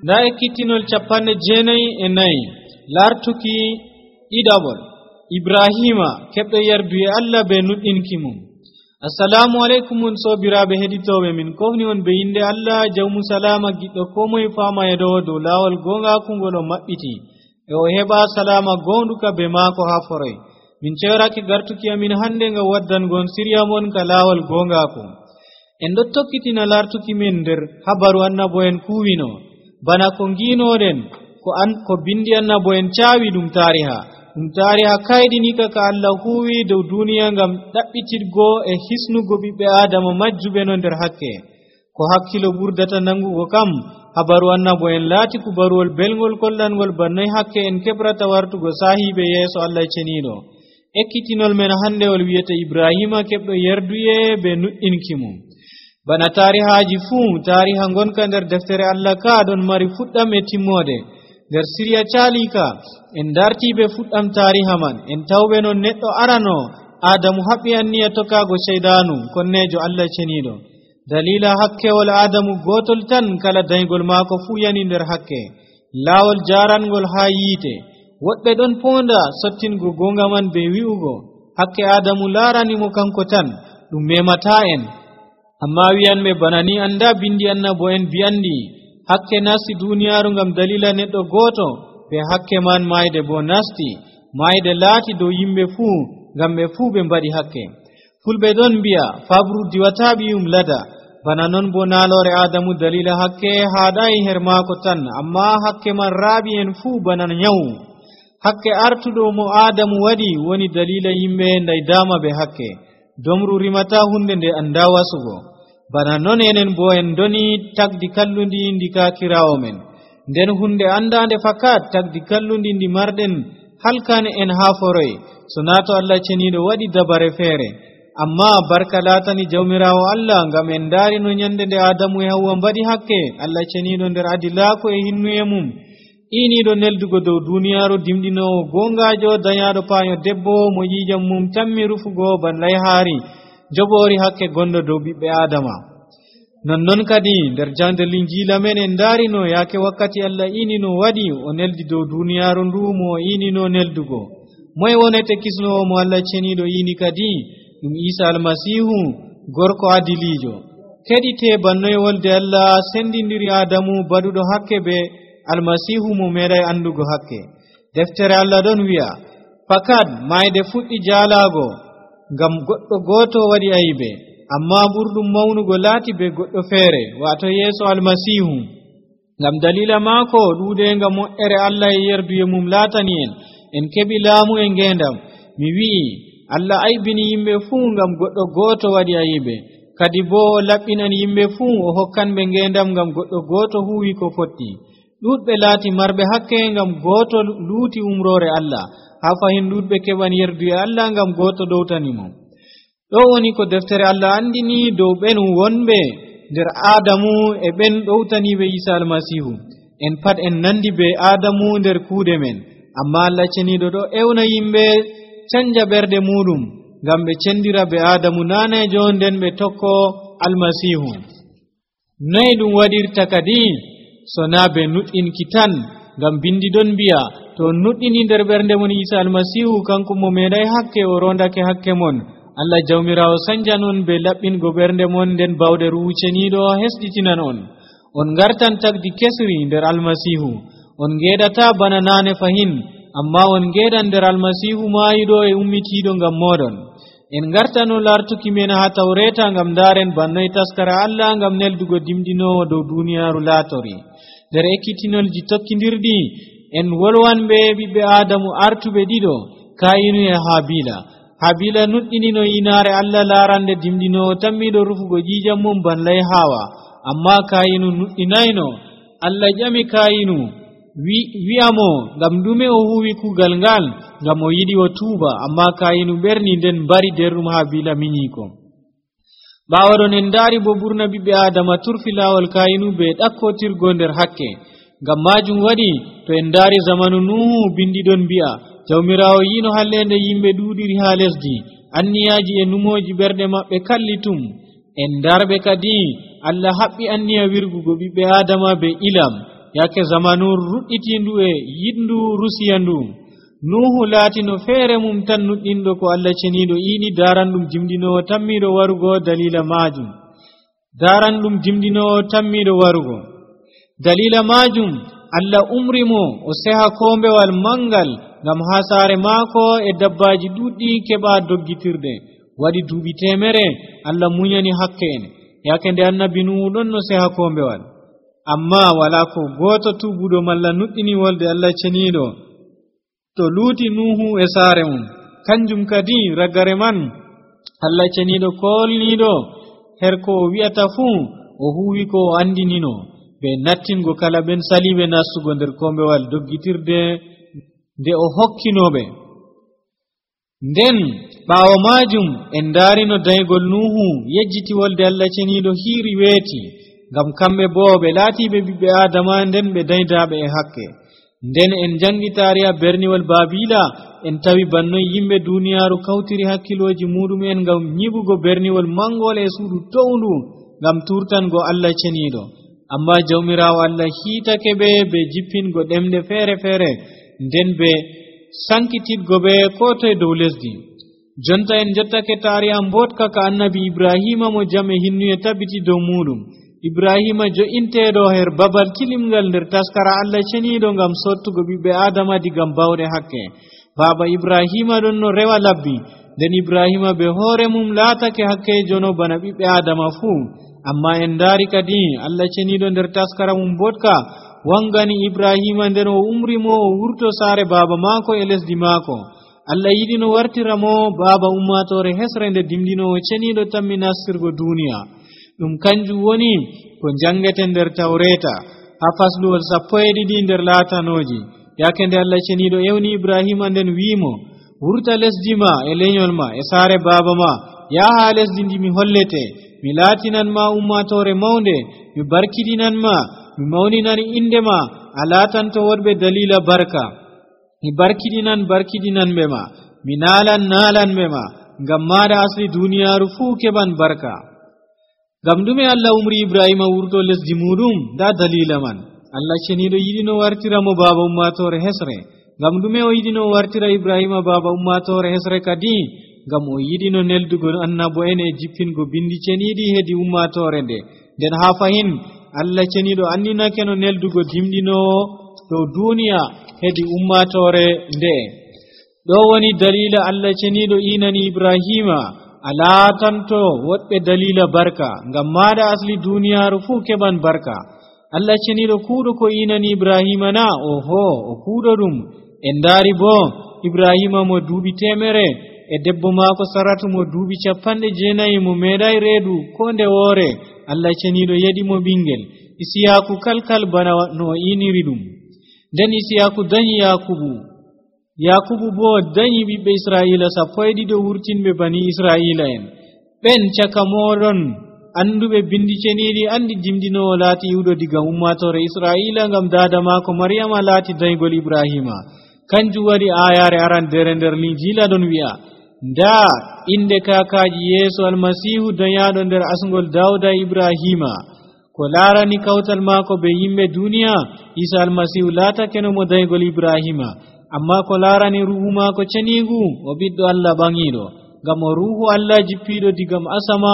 nda ekkitinol 94 lartuki ɗiɗaɓol ibrahima keɓɗo yerdu e allah be nuɗɗinki mum. assalamu aleykum on sobiraɓe heɗitoɓe min kofni on be inde allah jawmu salama giɗɗo ko moye fama e dow lawol gongaku ngol o maɓɓiti e o heɓa salama gonɗuka be maako ha foroy. min cewraki gartuki amin hande ngam waddangon siriya mon ka lawol gongaku. en ɗo tokkitina lartuki min nder habaru annabo en kuwino bana ko nginoɗen ko bindi annabo en cawi ɗum tariha kayɗinika ka allah huwi dow duniya ngam ɗaɓɓitirgo e hisnugo ɓiɓɓe adama majjuɓe no nder hakke. ko hakkilo ɓurdata nangugo kam habaru annabo en laati kubaruwol belgol kollangol bannoy hakke en keɓrata wartugo sahiɓe yeeso allah ceniɗo. ekkitinol men hande ol wiyete ibrahima keɓɗo yerduye be nuɗɗinki mum. bana tarihaji fuu tariha gonka nder deftere allah ka ɗon mari fuɗɗam e timmode. nder siriya calika en dartiɓe fuɗɗam tariha man en tawɓe non neɗɗo arano adamu haɓɓi anniya tokago ceydanu konnejo allah ceniɗo. dalila hakkewol adamu gotol tan kala daygol maako fuu yani nder hakke laawol jarangol ha yiite. woɓɓe ɗon ponda sottingo gonga man be wi'ugo hakke adamu laranimo kanko tan ɗum memata en. amma wiyanɓe bana ni anda bindi annabo en biyandi hakke nasti duniyaru ngam dalila neɗɗo goto be hakke man mayde bo nasti mayde laati dow yimɓe fuu ngam ɓe fuu ɓe mbaɗi hakke. fulɓe ɗon mbiya fabru diwata ɓiyum lada bana non bo naalore adamu dalila hakke haɗayi her maako tan amma hakke man raaɓi en fuu bana nyawu. hakke artuɗo mo adamu waɗi woni dalila yimɓe ndaydama be hakke domru rimata hunde nde anda wasugo. bana non enen bo en doni tagdi kallundi ndikakirawo men nden hunde andande fakat tagdi kallundi ndi marɗen halkane en ha foroy so nato allah ceniɗo waɗi dabare feere. amma barka latani jawmirawo allah ngam en daari no nyande nde adamu e hawwa mbaɗi hakke allah ceniɗo nder adilaako e hinnuye mum iniɗo neldugo dow duniyaru dimɗinowo gongajo dañaɗo payo debbo mo yijam mum tammi rufugo ban layhaari joɓori hakke gonɗo dow ɓiɓɓe adama. nonnon kadi nder jande linjila men en darino yake wakkati allah inino waɗi o neldi dow duniyaru ndu mo o inino neldugo. moye wonete kisnowo mo allah ceniɗo ini kadi ɗum isa almasihu gorko adilijo keɗite bannoye wolde allah sendidiri adamu baɗuɗo hakke be almasihu mo meeɗay andugo hakke. deftere allah ɗon wi'a fakat mayde fuɗɗi jaalago ngam goɗɗo goto waɗi ayibe amma ɓurɗum mawnugo laati be goɗɗo feere wato yeeso almasihu. ngam dalila maako ɗuuɗenga moƴƴere allah e yerduye mum laatani en keɓi laamu e ngendam. mi wi'i allah aybini yimɓe fuu ngam goɗɗo goto waɗi ayibe kadi bo o laɓɓinan yimɓe fuu o hokkanɓe ngendam ngam goɗɗo goto huwi ko fotti. ɗuɗɓe laati marɓe hakke ngam goto luuti umrore allah ha fahin ɗuɗɓe keɓan yerduye allah ngam goto ɗowtanimo. ɗo woni ko deftere allah andini dow ɓen wonɓe nder adamu e ɓen ɗowtaniɓe isa almasihu. en pat en nandi be adamu nder kuuɗe men amma allah ceniɗo ɗo ewna yimɓe canja ɓerɗe muɗum ngam ɓe cendira be adamu nanejo nden ɓe tokko almasihu. noyi ɗum waɗirta kadi so na be nuɗɗinki tan ngam bindi ɗon mbiya to nuɗɗini nder ɓernde mon isa almasihu kanko mo meeɗay hakke o rondake hakke mon allah jawmirawo sanjanon be laɓɓingo ɓernde mon nden bawɗe ruwuceniɗo hesɗitinan on gartan tagdi kesri nder almasihu on ngeɗata bana nane fahin amma on ngeɗan nder almasihu mayiɗo e ummitiɗo ngam moɗon. en gartano lartuki men ha tawreta ngam daren bannoy taskara allah ngam neldugo dimɗinowo dow duniyaru laatori. nder ekkitinolji tokkidirɗi en wolwanɓe ɓiɓɓe adamu artuɓe ɗiɗo kayinu e habila nuɗɗinino yinare allah larande dimɗinowo tammiɗo rufugo jijam mum banlay hawa amma kayinu nuɗɗinayno. allah ƴami kayinu wi'amo ngam ɗume o huwi kugal ngal ngam o yiɗi o tuuba amma kayinu ɓerni nden mbari derɗum habila miñiko. ɓawaɗon en daari bo ɓurna ɓiɓɓe adama turfi lawol kayinu be ɗakkotirgo nder hakke. ngam majum waɗi to en daari zamanu nuhu bindiɗon mbi'a jawmirawo yino hallende yimɓe ɗuɗiri ha lesdi anniyaji e numoji ɓerɗe maɓɓe kallitum. en darɓe kadi allah haɓɓi anniya wirgugo ɓiɓɓe adama be ilam yake zamanu ruɗɗitindu e yidndu rusiyandu nuhu laatino feere mum tan nuɗɗinɗo ko Allah ceniiɗo iini daaranɗum jimɗinowo tammiiɗo warugo dalila maajum daaranɗum jimɗinowo tammiiɗo warugo dalila maajum Allah umri mo o seha kombewal mangal ngam haa saare maako e dabbaaji ɗuɗɗi keɓa doggitirde waɗi duuɓi 100 Allah munyani hakke en yake nde annabi nuhu ɗon no seha kombewal amma wala ko gooto tubuɗo malla nuɗɗini wolde Allah ceniiɗo to luuti nuhu e saare mum kanjum kadi ragare man Allah ceniiɗo kolniiɗo her ko o wi'ata fuu o huwi ko o andinino ɓe nattingo kala ɓen saliɓe nastugo nder kombewal doggitirde nde o hokkinoɓe nden ɓaawo maajum en daarino daygol nuhu yejjiti wolde Allah ceniiɗo hiiri weeti ngam kamɓe boo ɓe laatiiɓe ɓiɓɓe aadama nden ɓe daydaaɓe e hakke nden en jangi taariya berniwol baabila en tawi bannoy yimɓe duuniyaaru kawtiri hakkilooji muɗum en ngam nyiɓugo berniwol mangol e suudu towndu ngam turtango Allah ceniiɗo amma jawmiraawo Allah hiitake ɓe jippingo ɗemɗe feere feere nden ɓe sankititgo ɓe ko toye dow lesdi jonta en jottake taariya mbotka ka annabi ibrahima mo jam e hinnuye tabbiti dow muɗum ibrahima jo'inteeɗo her babal kilimngal nder taskara Allah ceniiɗo ngam sottugo ɓiɓɓe aadama digam bawɗe hakke baaba ibrahima ɗon no rewa labbi nden ibrahima ɓe hoore mum laatake hakkeejono bana ɓiɓɓe aadama fuu amma en ndaari kadi Allah ceniiɗo nder taskara mum mbotka wangani ibrahima nden o umri mo o wurto saare baaba maako e lesdi maako Allah yiɗi no wartira mo baaba ummatore hesre nde dimɗinowo ceniiɗo tammi nastirgo duniya ɗum kanjum woni ko jangeten nder tawreta haa fasluwol 12 nder laatanooji yake nde Allah ceniiɗo ewni ibrahima nden wiimo wurta lesdi ma e leñol ma e saare baaba ma yaha lesdi ndi mi hollete mi laatinan ma ummatore mawnde mi barkidinan ma mi mawninani inde ma a laatanto woɗɓe dalila barka mi barkidinan ɓe ma mi naalan ɓe ma ngam maɗa asli duniyaaru fuu keɓan barka ngam ɗume Allah umri ibrahima wurto lesdi muɗum nda dalila man Allah ceniiɗo yiɗi no wartira mo baaba ummatore hesre ngam ɗume o yiɗi no wartira ibrahima baaba ummatore hesre kadi ngam o yiɗi no neldugo annabo en e jippingo bindi ceniiɗi hedi ummatore nde nden haa fahin Allah ceniiɗo andinake no neldugo dimɗinowo dow duniya hedi ummatore nde ɗo woni dalila Allah ceniiɗo inani ibrahima a laatanto woɗɓe dalila barka ngam maɗa asli duniyaaru fuu keɓan barka Allah ceniiɗo kuuɗo ko inani ibrahima na oho o kuuɗo ɗum en ndaari bo ibrahima mo duuɓi 100 e debbo maako saratu mo duuɓi 90 mo meeɗay reedu ko nde woore Allah ceniiɗo yeɗi mo ɓingel isiyaku kalkal bana no iniri ɗum nden isiyaku dañi yakubu bo dañi ɓiɓɓe israila 12 wurtinɓe bani israila en ɓen caka moɗon anduɓe bindi ceniiɗi andi dimɗinowo laati iwɗo diga ummatore israila ngam dada maako maryama laati daygol ibrahima kanjum waɗi ayare arandere nder linjila ɗon wi'a nda inde kakaji yeeso almasihu dañaɗo nder asgol dawda ibrahima ko laarani kawtal maako be yimɓe duniya isa almasihu laatake no mo daygol ibrahima amma ko laarani ruhu maako ceniigu o ɓiɗɗo Allah ɓaŋiiɗo ngam o ruhu Allah jippiiɗo digam asama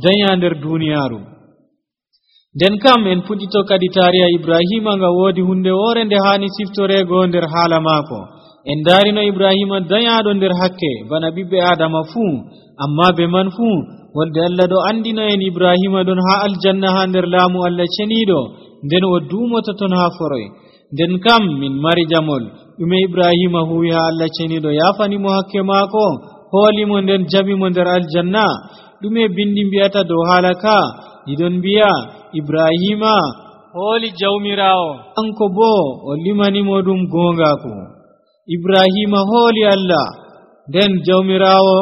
daña nder duniyaaru nden kam en puɗɗito kadi taariya ibrahima nga woodi hunde woore nde haani siftorego nder haala maako en daarino ibrahima dañaaɗo nder hakke bana ɓiɓɓe adama fuu amma be man fuu wolde Allah ɗo andina en ibrahima ɗon haa aljanna haa nder laamu Allah ceniiɗo nden o duumoto ton haa foroy nden kam min mari jamol ɗume ibrahima huwi haa Allah ceniiɗo yaafanimo hakke maako hoolimo nden jabimo nder aljanna ɗume bindi mbiyata dow haala ka ɗiɗon mbiya ibrahima hooli jawmiraawo kanko boo o limanimo ɗum goongaaku ibrahima hooli Allah nden jawmiraawo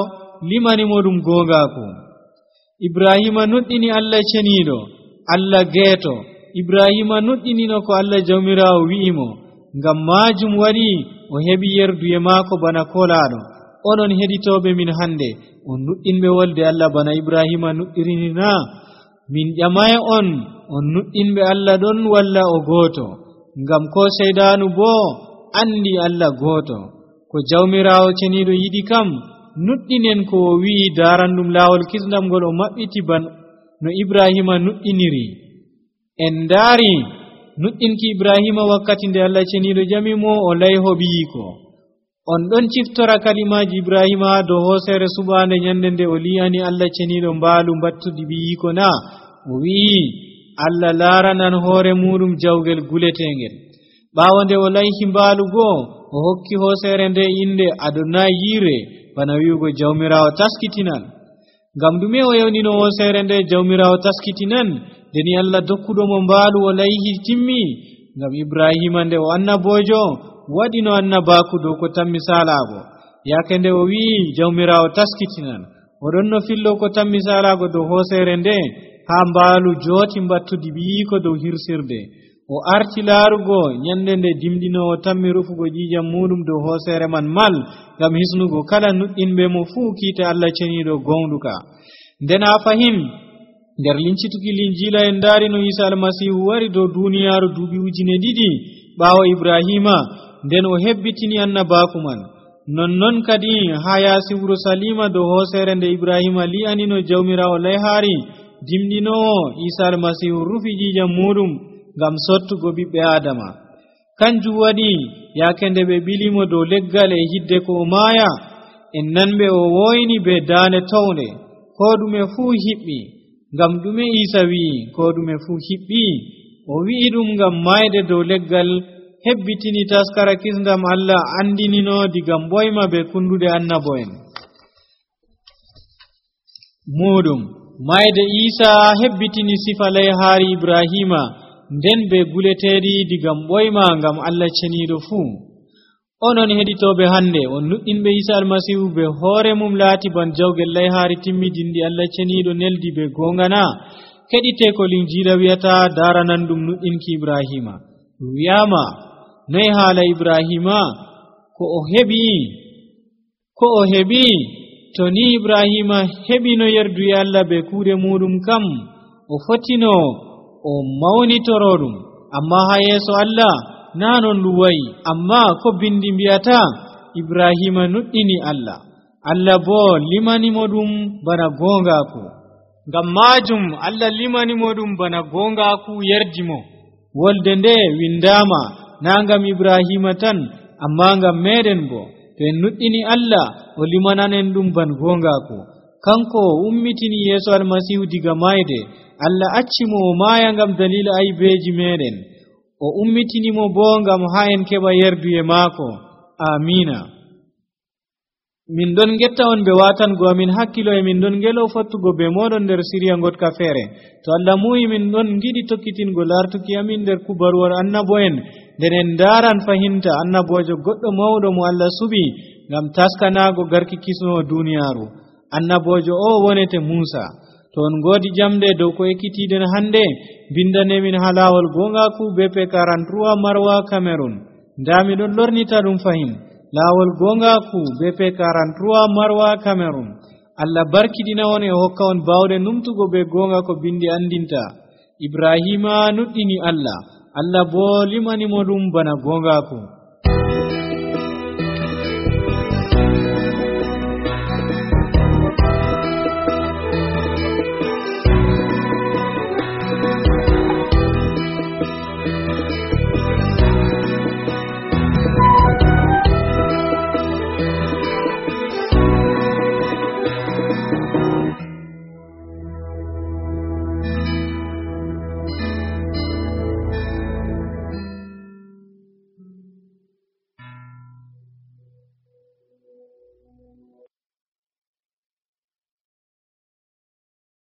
limanimo ɗum goongaaku ibrahima nuɗɗini Allah ceniiɗo Allah geeto ibrahima nuɗɗinino ko Allah jawmiraawo wi'imo ngam maajum waɗi o heɓi yerduye maako bana kolaaɗo onon heɗitooɓe min hannde on nuɗɗinɓe wolde Allah bana ibrahima nuɗɗirini na min ƴamay on nuɗɗinɓe Allah ɗon walla o gooto ngam ko seydanu boo andi Allah gooto ko jawmiraawo ceniiɗo yiɗi kam nuɗɗinen ko o wi'i daarandum laawol kisndam ngol o maɓɓiti ban no Ibrahima nuɗɗiniri en ndaari nuɗɗinki Ibrahima wakkati nde Allah ceniiɗo jamimo o layho ɓiyiko on ɗon ciftora kalimaaji Ibrahima dow hooseere suɓaande nyande nde o li'ani Allah ceniiɗo mbaalu mbattudi ɓiyiko na o wi'i Allah laaranan hoore muɗum jawgel guletengel ɓaawo nde o layhi mbaalu goo o hokki hooseere nde inde Adonayire bana wi'ugo jawmiraawo taskitinan ngam ɗume o yewnino hooseere nde jawmiraawo taskitinan deni Allah dokkuɗomo mbaalu o layhi timmi ngam Ibrahima nde o annabojo waɗino annabaaku dow ko tammi salaago yaake nde o wi'i jawmiraawo taskitinan oɗon no fillo ko tammi salaago dow hooseere nde haa mbaalu jooti mbattudi ɓiyiko dow hirsirde o arti laarugo nyande nde dimɗinowo tammi rufugo ƴiƴam muɗum dow hooseere man mal ngam hisnugo kala nuɗɗinɓe mo fuu kiite Allah ceniiɗo gonɗuka nden a fahin nder lincituki linjiila en ndaari no Isa almasihu wari dow duuniyaaru duuɓi 2000 ɓaawo Ibrahima nden o hebbitini annabaaku man nonnon kadi haa yaasi wuro Salima dow hooseere nde Ibrahima li'anino jawmiraawo layhaari dimɗinowo Isa almasihu rufi ƴiƴam muɗum ngam sottugo ɓiɓɓe Adama kanjum waɗi yaake nde ɓe ɓilimo dow leggal e hidde ko o maaya en nanɓe o woyni be daande townde ko ɗume fuu hiɓɓi ngam ɗume Isa wi'i ko ɗume fuu hiɓɓi o wi'i ɗum ngam mayde dow leggal hebbitini taskara kisndam Allah andinino diga mboyma be kundude annabo'en muɗum mayde Isa hebbitini sifa layhaari Ibrahima nden be guleteeɗi diga mboyma ngam Allah ceniiɗo fuu onon heɗitooɓe hannde on nuɗɗinɓe Isa almasihu be hoore mum laati ban jawgel layhaari timmidindi Allah ceniiɗo neldi be goongana keɗite ko linjiila wi'ata daaranan ɗum nuɗɗinki Ibrahima wi'ama noy haala Ibrahima ko o heɓi to ni Ibrahima heɓino yerduye Allah be kuuɗe muɗum kam o fotino o mawnitoro ɗum amma haa yeeso Allah naa non ɗum wayi amma ko bindi mbi'ata Ibrahima nuɗɗini Allah boo limanimo ɗum bana goongaaku ngam maajum Allah limanimo ɗum bana goongaaku yerdimo wolde nde windaama naa ngam Ibrahima tan amma ngam meeɗen boo to en nuɗɗini Allah o limananen ɗum ban goongaaku kanko ummitini yeeso almasihu diga mayde Allah accimo o maaya ngam dalila aybeeji meeɗen o ummitinimo boo ngam haa en keɓa yerduye maako amina min ɗon getta on ɓe watango amin hakkilo e min ɗon ngelo fottugo be moɗon nder siriya gotka feere to Allah muyi min ɗon giɗi tokkitingo lartuki amin nder kubaruwar annabo'en nden en ndaran fahinta annabojo goɗɗo mawɗo mo Allah suɓi ngam taskanaago garki kisnowo duniyaaru annabojo o wonete Musa to on ngoodi jamde dow ko ekkitiɗen hannde bindanemin haa laawol goongaaku BP 43 Marwa Cameroon ndaa miɗon lornita ɗum fahin laawol goongaaku BP 43 Marwa Cameroon Allah barkiɗina on e hokka on baawɗe numtugo be goonga ko bindi andinta Ibrahima nuɗɗini Allah boo limanimo ɗum bana goongaaku